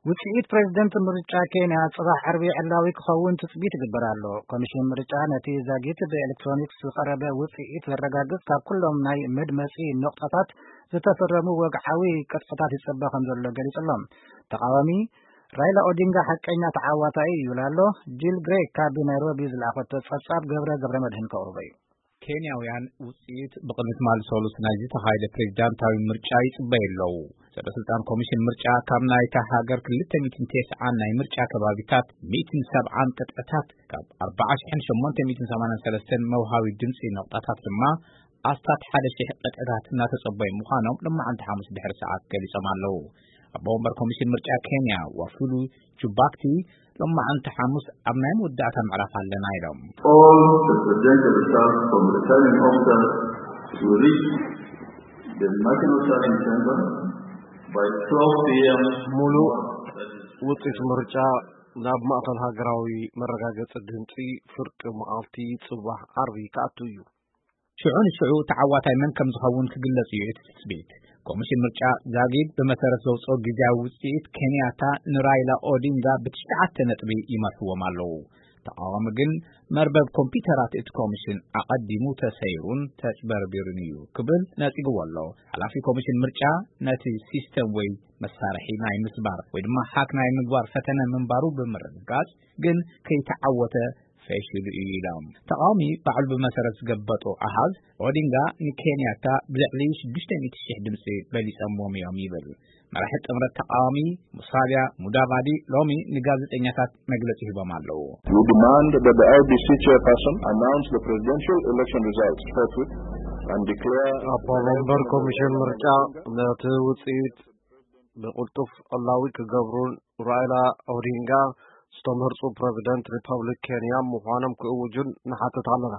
ውጽኢት ፕሬዝደንት ምርጫ ኬንያ ጽባሕ ዓርቢ ዕላዊ ክኸውን ትጽቢት ይግበር ኣሎ። ኮሚሽን ምርጫ ነቲ ዛጊት ብኤሌክትሮኒክስ ዝቐረበ ውጽኢት ዘረጋግጽ ካብ ኩሎም ናይ መድመጺ ነቑጣታት ዝተፈረሙ ወግዓዊ ቅጥዕታት ይጸበ ከም ዘሎ ገሊጹ ኣሎ። ተቓዋሚ ራይላ ኦዲንጋ ሓቀኛ ተዓዋታይ እዩ ይብል ኣሎ። ጂል ግሬ ካብ ናይሮቢ ዝለኣኸቶ ጸብጻብ ገብረ ገብረ መድህን ከቕርቦ እዩ። ኬንያውያን ውጽኢት ብቕድሚ ትማሊ ሰሉስ ናይ ዝተኻየደ ፕሬዝዳንታዊ ምርጫ ይጽበዩ ኣለዉ። ሰበ ስልጣን ኮሚሽን ምርጫ ካብ ናይታ ሃገር ክልተ ሚእትን ተስዓን ናይ ምርጫ ከባቢታት ሚእትን ሰብዓን ቅጥዕታት ካብ ኣርባዓ ሽሕን ሸሞንተ ሚእትን ሰማንያን ሰለስተን መውሃቢ ድምጺ ነቑጣታት ድማ ኣስታት ሓደ ሽሕ ቅጥዕታት እናተጸበዩ ምዃኖም ሎማዓንቲ ሓሙስ ድሕሪ ሰዓት ገሊጾም ኣለዉ። ኣቦ ወንበር ኮሚሽን ምርጫ ኬንያ ዋፉሉ ጁባክቲ ሎማዓንቲ ሓሙስ ኣብ ናይ መወዳእታ ምዕራፍ ኣለና ኢሎም። All the presidential results from the returning officers will reach the National Tallying Center by twelve p.m. ሙሉእ ውጽኢት ምርጫ ናብ ማእከል ሃገራዊ መረጋገጺ ድምጺ ፍርቂ መዓልቲ ጽባሕ ዓርቢ ክኣቱ እዩ። ሽዑ ንሽዑ ተዓዋታይ መን ከም ዝኸውን ክግለጽ እዩ እቲ ትጽቢት። ኮሚሽን ምርጫ ዛጊድ ብመሰረት ዘውጽኦ ግዜያዊ ውጽኢት ኬንያታ ንራይላ ኦዲንጋ ብትሽዓተ ነጥቢ ይመርሕዎም ኣለዉ። ተቓዋሚ ግን መርበብ ኮምፒውተራት እቲ ኮሚሽን ኣቐዲሙ ተሰይሩን ተጭበርቢሩን እዩ ክብል ነጺግዎ ኣሎ። ሓላፊ ኮሚሽን ምርጫ ነቲ ሲስተም ወይ መሳርሒ ናይ ምስባር ወይ ድማ ሃክ ናይ ምግባር ፈተነ ምንባሩ ብምርግጋጽ ግን ከይተዓወተ ፈሽሉ እዩ ኢሎም። ተቓዋሚ ባዕሉ ብመሰረት ዝገበጦ ኣሃዝ ኦዲንጋ ንኬንያታ ብልዕሊ ሽዱሽተ ሚእቲ ሽሕ ድምፂ በሊፀምዎም እዮም ይብል። መራሒ ጥምረት ተቓዋሚ ሙሳሊያ ሙዳቫዲ ሎሚ ንጋዜጠኛታት መግለፂ ሂቦም ኣለዉ። We demand that the L D C chairperson announce the presidential election results forthwith and declare ኣቦ መንበር ኮሚሽን ምርጫ ነቲ ውፅኢት ብቕልጡፍ ዕላዊ ክገብሩን ራይላ ኦዲንጋ ዝተመርጹ ፕረዚደንት ሪፐብሊክ ኬንያ ምዃኖም ክእውጁን ንሓትት ኣለና።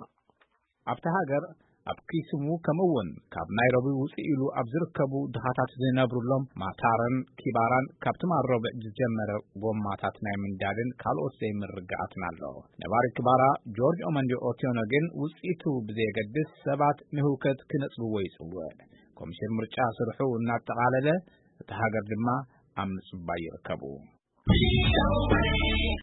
ኣብታ ሃገር ኣብ ኪሱሙ ከምኡ እውን ካብ ናይሮቢ ውፅእ ኢሉ ኣብ ዝርከቡ ድኻታት ዝነብሩሎም ማታረን ኪባራን ካብ ትማል ረቡዕ ዝጀመረ ጎማታት ናይ ምንዳልን ካልኦት ዘይምርግጋኣትን ኣሎ። ነባሪ ኪባራ ጆርጅ ኦመንዲ ኦቲዮኖ ግን ውፅኢቱ ብዘየገድስ ሰባት ንህውከት ክነፅግዎ ይፅውዕ። ኮሚሽን ምርጫ ስርሑ እናጠቓለለ እታ ሃገር ድማ ኣብ ምጽባይ ይርከቡ።